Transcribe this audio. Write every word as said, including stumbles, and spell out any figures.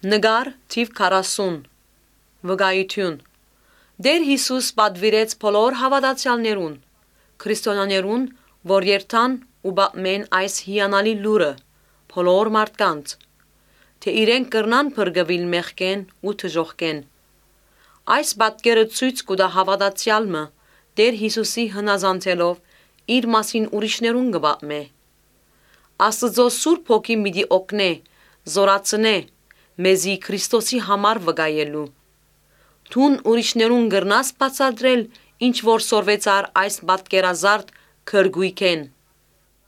Նկար թիվ քառասուն։ Վկայութիւն։ Տէր Յիսուս պատուիրեց բոլոր հաւատացեալներուն, քրիստոնյաներուն, որ երթան ու պատմեն այս հիանալի լուրը բոլոր մարդկանց, թէ իրենք կրնան փրկուիլ մեղքէն ու դժոխքէն։ Այս պատկերը ցոյց կու տայ հաւատացեալ մը Տէր Յիսուսի հնազանդելով իր մասին ուրիշներուն կը պատմէ։ Աստուծոյ Սուրբ Հոգին պիտի օգնէ, զօրացնէ մեզի Քրիստոսի համար վկայելու։ Դուն ուրիշներուն կրնա՞ս բացատրել ինչ որ սորվեցար այս պատկերազարդ գրկոյքէն։